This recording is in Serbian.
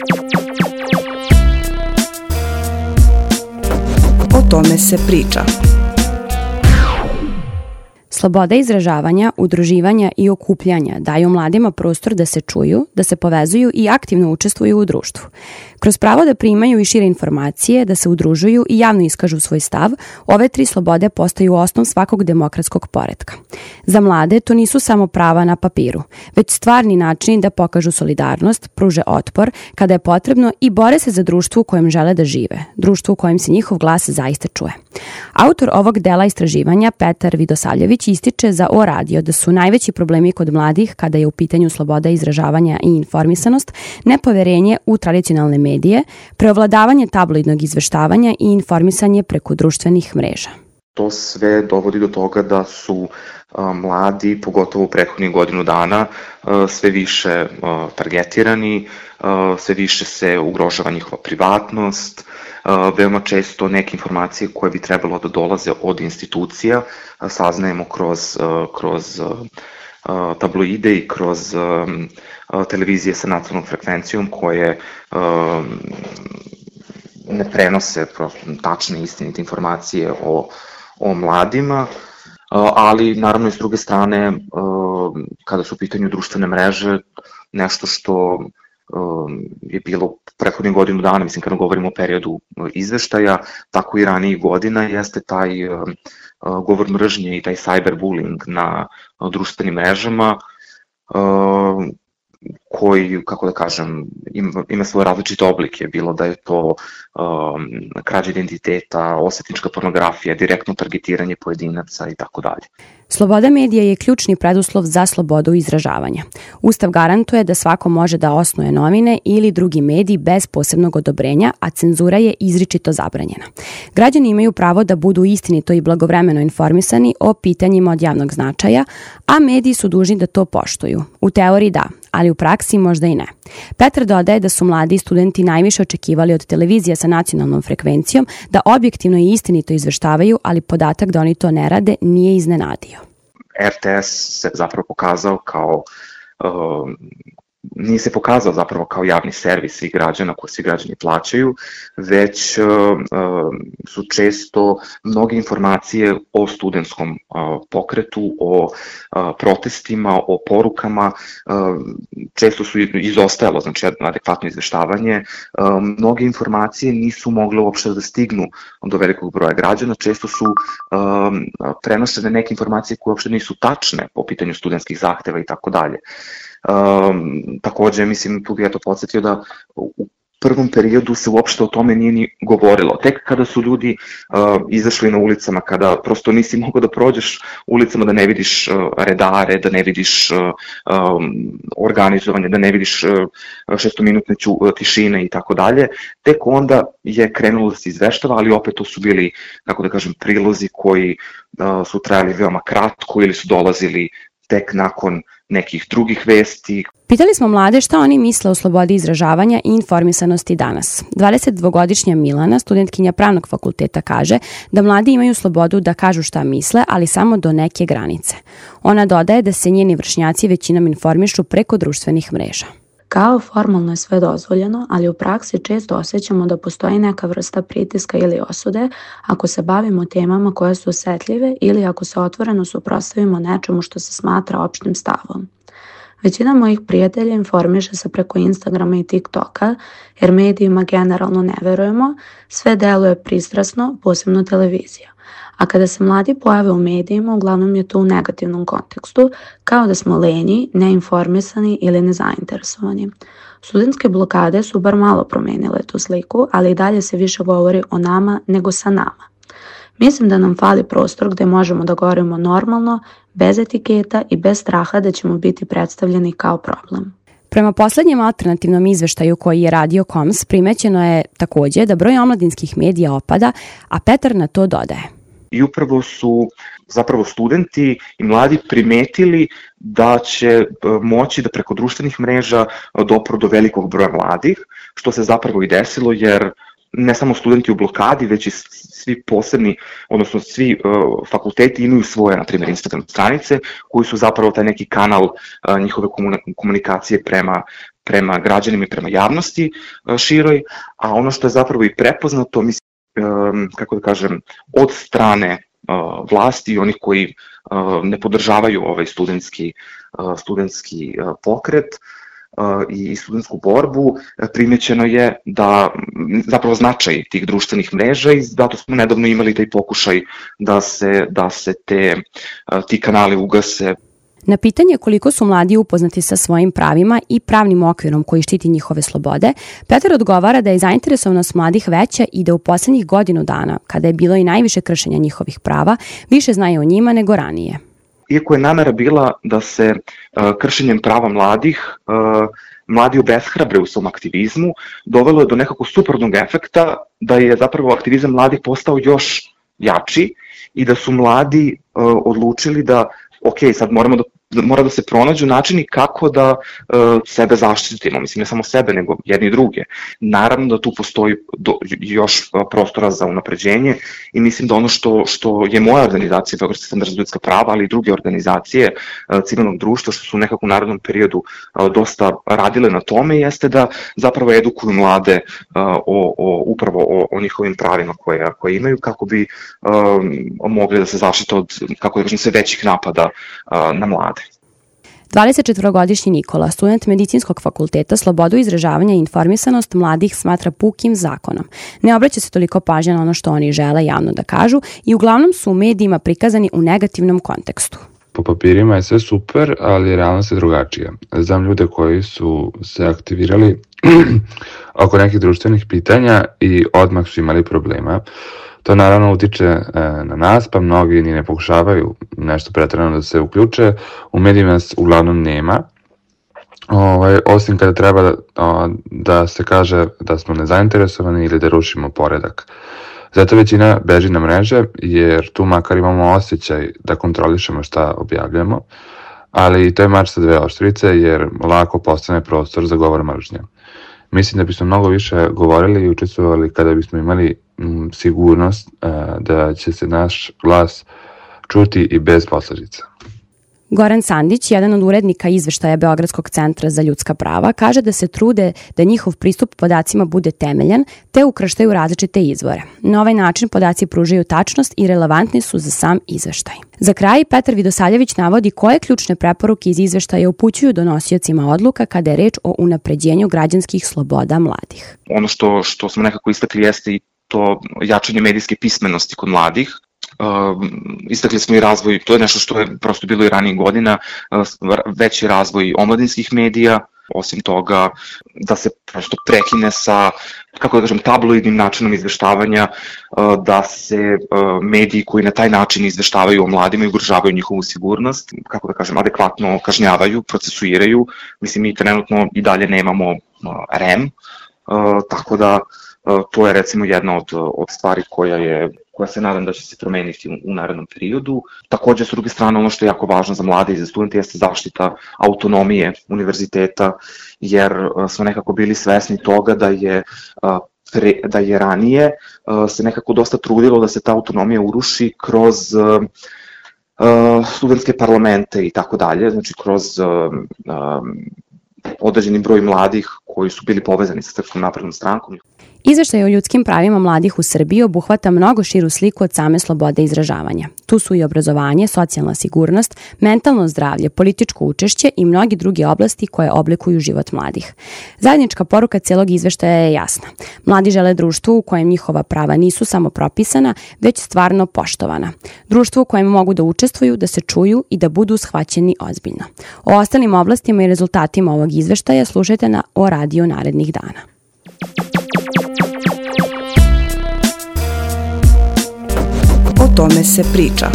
O tome se priča. Sloboda izražavanja, udruživanja i okupljanja daju mladima prostor da se čuju, da se povezuju i aktivno učestvuju u društvu. Kroz pravo da primaju i šire informacije, da se udružuju i javno iskažu svoj stav, ove tri slobode postaju osnov svakog demokratskog poretka. Za mlade to nisu samo prava na papiru, već stvarni načini da pokažu solidarnost, pruže otpor kada je potrebno i bore se za društvo u kojem žele da žive, društvo u kojem se njihov glas zaista čuje. Autor ovog dela istraživanja, Petar Vidosavljević, ističe za O radio da su najveći problemi kod mladih kada je u pitanju sloboda izražavanja i informisanost, nepoverenje u tradicionalne medije, preovladavanje tabloidnog izveštavanja i informisanje preko društvenih mreža. To sve dovodi do toga da su mladi, pogotovo u prethodnih godinu dana, sve više targetirani, sve više se ugrožava njihova privatnost, veoma često neke informacije koje bi trebalo da dolaze od institucija saznajemo kroz tabloide i kroz televizije sa nacionalnom frekvencijom koje ne prenose tačne i istinite informacije o mladima, ali naravno i s druge strane kada su u pitanju društvene mreže, nešto što je bilo prethodnih godinu dana, mislim kada govorimo o periodu izveštaja, tako i ranijih godina, jeste taj govor mržnje i taj cyberbullying na društvenim mrežama koji, kako da kažem, ima svoje različite oblike, bilo da je to krađa identiteta, osvetnička pornografija, direktno targetiranje pojedinaca i tako dalje. Sloboda medija je ključni preduslov za slobodu izražavanja. Ustav garantuje da svako može da osnuje novine ili drugi mediji bez posebnog odobrenja, a cenzura je izričito zabranjena. Građani imaju pravo da budu istinito i blagovremeno informisani o pitanjima od javnog značaja, a mediji su dužni da to poštuju. U teoriji da, ali u praksi možda i ne. Petar dodaje da su mladi studenti najviše očekivali od televizija sa nacionalnom frekvencijom da objektivno i istinito izveštavaju, ali podatak da oni to ne rade nije iznenadio. RTS se zapravo pokazao kao nije se pokazao zapravo kao javni servis svih građana koji svi građani plaćaju, već su često mnoge informacije o studentskom pokretu, o protestima, o porukama, često su izostajalo, znači adekvatno izveštavanje. Mnoge informacije nisu mogle uopšte da stignu do velikog broja građana, često su prenošene neke informacije koje uopšte nisu tačne po pitanju studentskih zahteva i tako dalje. Takođe, mislim, tu bih podsjetio da u prvom periodu se uopšte o tome nije ni govorilo. Tek kada su ljudi izašli na ulicama, kada prosto nisi mogao da prođeš ulicama da ne vidiš redare, da ne vidiš organizovanje, da ne vidiš šestominutne tišine i tako dalje, tek onda je krenulo da se izveštava, ali opet to su bili, kako da kažem, prilozi koji su trajali veoma kratko ili su dolazili tek nakon nekih drugih vesti. Pitali smo mlade šta oni misle o slobodi izražavanja i informisanosti danas. 22-godišnja Milana, studentkinja pravnog fakulteta, kaže da mladi imaju slobodu da kažu šta misle, ali samo do neke granice. Ona dodaje da se njeni vršnjaci većinom informišu preko društvenih mreža. Kao formalno je sve dozvoljeno, ali u praksi često osjećamo da postoji neka vrsta pritiska ili osude ako se bavimo temama koje su osetljive ili ako se otvoreno suprotstavimo nečemu što se smatra opštim stavom. Većina mojih prijatelja informiše se preko Instagrama i TikToka, jer medijima generalno ne verujemo, sve deluje pristrasno, posebno televizija. A kada se mladi pojave u medijima, uglavnom je to u negativnom kontekstu, kao da smo lenji, neinformisani ili nezainteresovani. Studentske blokade su bar malo promenile tu sliku, ali i dalje se više govori o nama nego sa nama. Mislim da nam fali prostor gde možemo da govorimo normalno, bez etiketa i bez straha da ćemo biti predstavljeni kao problem. Prema poslednjem alternativnom izveštaju koji je radio KOMS, primećeno je takođe da broj omladinskih medija opada, a Petar na to dodaje. I upravo su zapravo studenti i mladi primetili da će moći da preko društvenih mreža dopru do velikog broja mladih, što se zapravo i desilo, jer ne samo studenti u blokadi, već i svi posebni, odnosno svi fakulteti imaju svoje, na primjer, Instagram stranice, koji su zapravo taj neki kanal njihove komunikacije prema građanima i prema javnosti široj, a ono što je zapravo i prepoznato, mislim, kako da kažem, od strane vlasti i onih koji ne podržavaju ovaj studentski pokret i studentsku borbu, primećeno je da zapravo značaj tih društvenih mreža i zato smo nedavno imali taj pokušaj da se ti kanali ugase. Na pitanje koliko su mladi upoznati sa svojim pravima i pravnim okvirom koji štiti njihove slobode, Petar odgovara da je zainteresovanost mladih veća i da u poslednjih godinu dana, kada je bilo i najviše kršenja njihovih prava, više znaju o njima nego ranije. Iako je namera bila da se kršenjem prava mladi obeshrabre u svom aktivizmu, dovelo je do nekako suprotnog efekta da je zapravo aktivizam mladih postao još jači i da su mladi odlučili da sad mora da se pronađu načini kako da sebe zaštitimo, mislim ne samo sebe nego jedni i druge. Naravno da tu postoji još prostora za unapređenje i mislim da ono što je moja organizacija, Beogradski centar za ljudska prava, ali i druge organizacije civilnog društva što su nekako u narednom periodu dosta radile na tome, jeste da zapravo edukuju mlade upravo o njihovim pravima koje imaju kako bi mogli da se zaštite od, kako da kažem, sve većih napada na mlade. 24-godišnji Nikola, student medicinskog fakulteta, slobodu izražavanja i informisanost mladih smatra pukim zakonom. Ne obraća se toliko pažnja na ono što oni žele javno da kažu i uglavnom su u medijima prikazani u negativnom kontekstu. Po papirima je sve super, ali realnost je drugačija. Znam ljude koji su se aktivirali oko nekih društvenih pitanja i odmah su imali problema. To naravno utiče na nas, pa mnogi ni ne pokušavaju nešto preterano da se uključe. U medijima nas uglavnom nema, osim kada treba da se kaže da smo nezainteresovani ili da rušimo poredak. Zato većina beži na mreže, jer tu makar imamo osjećaj da kontrolišemo šta objavljamo, ali to je mač sa dve oštrice, jer lako postane prostor za govor mržnje. Mislim da bismo mnogo više govorili i učestvovali kada bismo imali sigurnost da će se naš glas čuti i bez posledica. Goran Sandić, jedan od urednika izveštaja Beogradskog centra za ljudska prava, kaže da se trude da njihov pristup podacima bude temeljan, te ukrštaju različite izvore. Na ovaj način podaci pružaju tačnost i relevantni su za sam izveštaj. Za kraj, Petar Vidosaljević navodi koje ključne preporuke iz izveštaja upućuju donosiocima odluka kada je reč o unapređenju građanskih sloboda mladih. Ono što smo nekako istakli jeste i to jačanje medijske pismenosti kod mladih. Istakli smo i razvoj, to je nešto što je prosto bilo i ranijih godina, veći razvoj omladinskih medija, osim toga da se prosto prekine sa, kako da kažem, tabloidnim načinom izveštavanja, da se mediji koji na taj način izveštavaju o mladima i ugrožavaju njihovu sigurnost, kako da kažem, adekvatno kažnjavaju, procesuiraju. Mislim, mi trenutno i dalje nemamo REM, tako da to je recimo jedna od stvari koja se nadam da će se promeniti u narednom periodu. Takođe, s druge strane, ono što je jako važno za mlade i za studente jeste zaštita autonomije univerziteta, jer smo nekako bili svesni toga da je ranije se nekako dosta trudilo da se ta autonomija uruši kroz studentske parlamente i tako dalje, znači kroz određeni broj mladih koji su bili povezani sa Srpskom naprednom strankom. Izveštaj o ljudskim pravima mladih u Srbiji obuhvata mnogo širu sliku od same slobode izražavanja. Tu su i obrazovanje, socijalna sigurnost, mentalno zdravlje, političko učešće i mnogi druge oblasti koje oblikuju život mladih. Zajednička poruka celog izveštaja je jasna. Mladi žele društvo u kojem njihova prava nisu samo propisana, već stvarno poštovana. Društvo u kojem mogu da učestvuju, da se čuju i da budu shvaćeni ozbiljno. O ostalim oblastima i rezultatima ovog izveštaja slušajte na O radiju narednih dana. O tome se priča.